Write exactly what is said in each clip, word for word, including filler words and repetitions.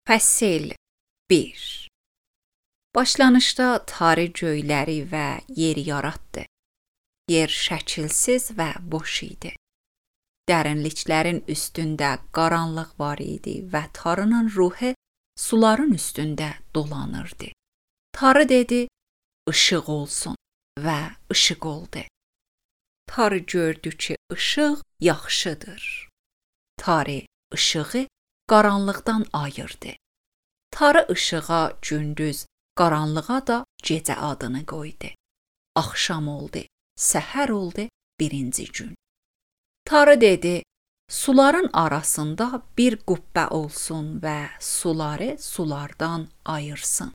Fəsil bir. Başlanışda Tanrı göyləri və yeri yaratdı. Yer şəkilsiz və boş idi. Dərinliklərin üstündə qaranlıq var idi və Tanrının ruhu suların üstündə dolanırdı. Tanrı dedi, "Işıq olsun" və ışıq oldu. Tanrı gördü ki, ışıq yaxşıdır. Tanrı ışığı qaranlıqdan ayırdı. Tanrı ışığa gündüz, qaranlığa da gecə adını qoydu. Axşam oldu, səhər oldu, birinci gün. Tanrı dedi, suların arasında bir qübbə olsun və suları sulardan ayırsın.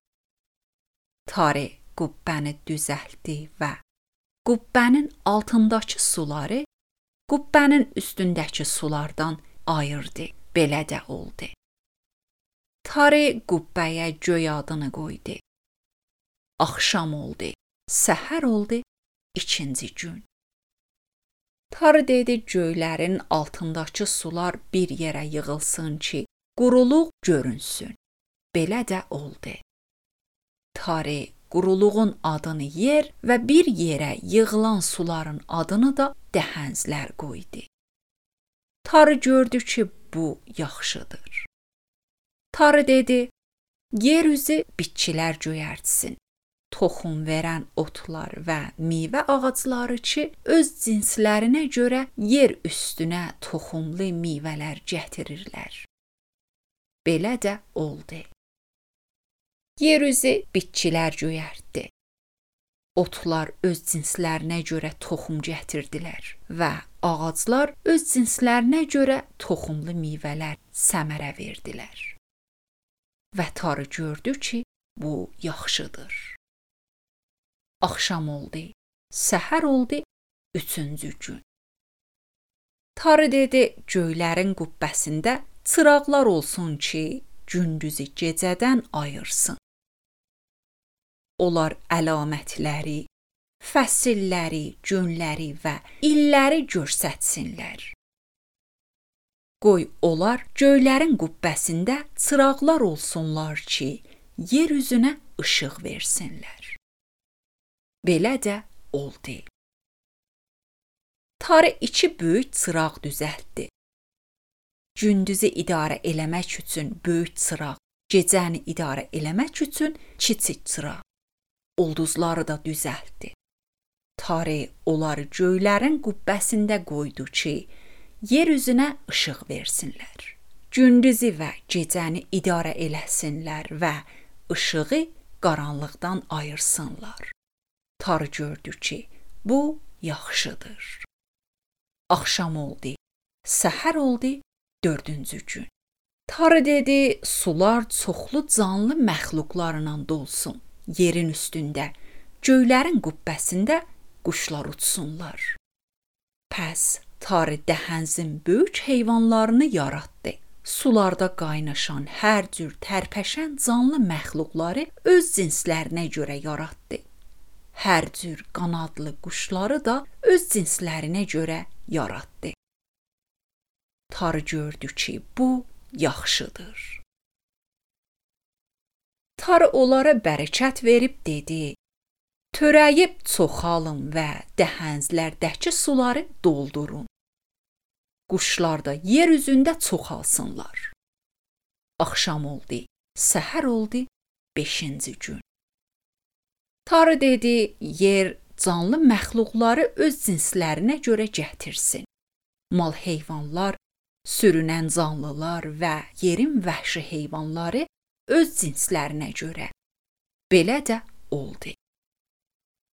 Tanrı qübbəni düzəltdi və qübbənin altındakı suları qübbənin üstündəki sulardan ayırdı. Belə də oldu. Tanrı qübbəyə göy adını qoydu. Axşam oldu, səhər oldu, ikinci gün. Tanrı dedi, göylərin altındakı sular bir yerə yığılsın ki, quruluq görünsün. Belə də oldu. Tanrı quruluğun adını yer və bir yerə yığılan suların adını da dəhəzlər qoydu. Tanrı gördü ki, bu yaxşıdır. Tanrı dedi, yer üzü bitkilər göyərtsin, toxum verən otlar və meyvə ağacları ki, öz cinslərinə görə yer üstünə toxumlu meyvələr gətirirlər. Belə də oldu. Yer üzü bitkilər göyərtdi. Otlar öz cinslərinə görə toxum gətirdilər və ağaclar öz cinslərinə görə toxumlu meyvələr səmərə verdilər. Və Tanrı gördü ki, bu yaxşıdır. Axşam oldu, səhər oldu, üçüncü gün. Tanrı dedi, göylərin qübbəsində çıraqlar olsun ki, gündüzü gecədən ayırsın. Onlar əlamətləri, fəsilləri, günləri və illəri göstərsinlər. Qoy onlar göylərin qübbəsində çıraqlar olsunlar ki, yer üzünə işıq versinlər. Belə də oldu. Tanrı iki böyük çıraq düzəltdi. Gündüzü idarə eləmək üçün böyük çıraq, gecəni idarə eləmək üçün kiçik çıraq. Ulduzları da düzəltdi. Tanrı onları göylərin qübbəsində qoydu ki, yer üzünə işıq versinlər. Gündüzü və gecəni idarə eləsinlər və işığı qaranlıqdan ayırsınlar. Tanrı gördü ki, bu yaxşıdır. Axşam oldu, səhər oldu, dördüncü gün. Tanrı dedi, sular çoxlu canlı məxluqlarla dolsun. Yerin üstündə, göylərin qübbəsində quşlar uçsunlar. Pəs Tanrı dəhəzin böyük heyvanlarını yaratdı. Sularda qaynaşan hər cür tərpəşən canlı məxluqları öz cinslərinə görə yaratdı. Hər cür qanadlı quşları da öz cinslərinə görə yaratdı. Tanrı gördü ki, bu yaxşıdır. Tanrı onlara bərəkət verib dedi, törəyib çoxalın və dəhəzlərdəki suları doldurun. Quşlar da yer üzündə çoxalsınlar. Axşam oldu, səhər oldu, beşinci gün. Tanrı dedi, yer canlı məxluqları öz cinslərinə görə gətirsin. Mal heyvanlar, sürünən canlılar və yerin vəhşi heyvanları öz cinslərinə görə. Belə də oldu.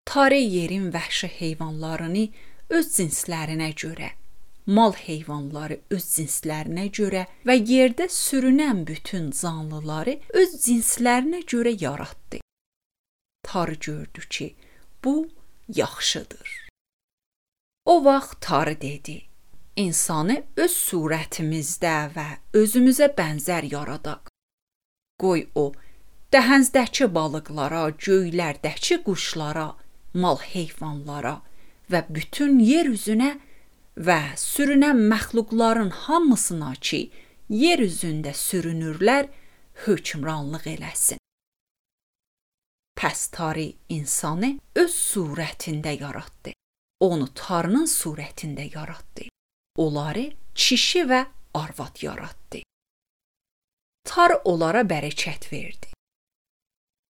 Tanrı yerin vəhşi heyvanlarını öz cinslərinə görə, mal heyvanları öz cinslərinə görə və yerdə sürünən bütün canlıları öz cinslərinə görə yaratdı. Tanrı gördü ki, bu yaxşıdır. O vaxt Tanrı dedi, insanı öz surətimizdə və özümüzə bənzər yaradaq. Qoy o, dəhəzdəki balıqlara, göylərdəki quşlara, mal heyvanlara və bütün yer üzünə və sürünən məxluqların hamısına ki, yer üzündə sürünürlər hökmranlıq eləsin. Pəs Tanrı insanı öz surətində yaratdı. Onu Tanrının surətində yaratdı. Onları kişi və arvad yaratdı. Tanrı onlara bərəkət verdi.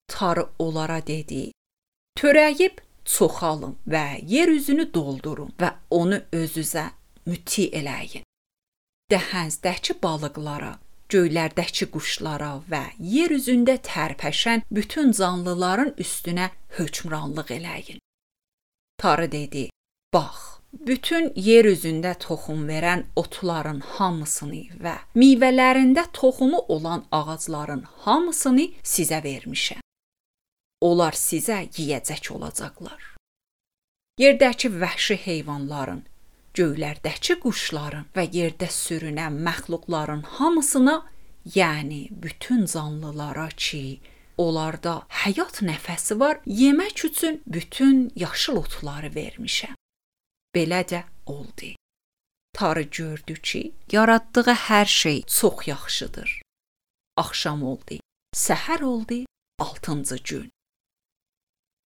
Tanrı onlara dedi: "Törəyib çoxalın və yer üzünü doldurun və onu özünüzə müti eləyin. Dəhəzdəki balıqlara, göylərdəki quşlara və yer üzündə tərpəşən bütün canlıların üstünə hökmranlıq eləyin." Tanrı dedi: "Bax, bütün yer üzündə toxum verən otların hamısını və meyvələrində toxumu olan ağacların hamısını sizə vermişəm. Onlar sizə yeyəcək olacaqlar. Yerdəki vəhşi heyvanların, göylərdəki quşların və yerdə sürünən məxluqların hamısına, yəni bütün canlılara ki, onlarda həyat nəfəsi var, yemək üçün bütün yaşıl otları vermişəm." Belə də oldu. Tanrı gördü ki, yaratdığı hər şey çox yaxşıdır. Axşam oldu, səhər oldu, altıncı gün.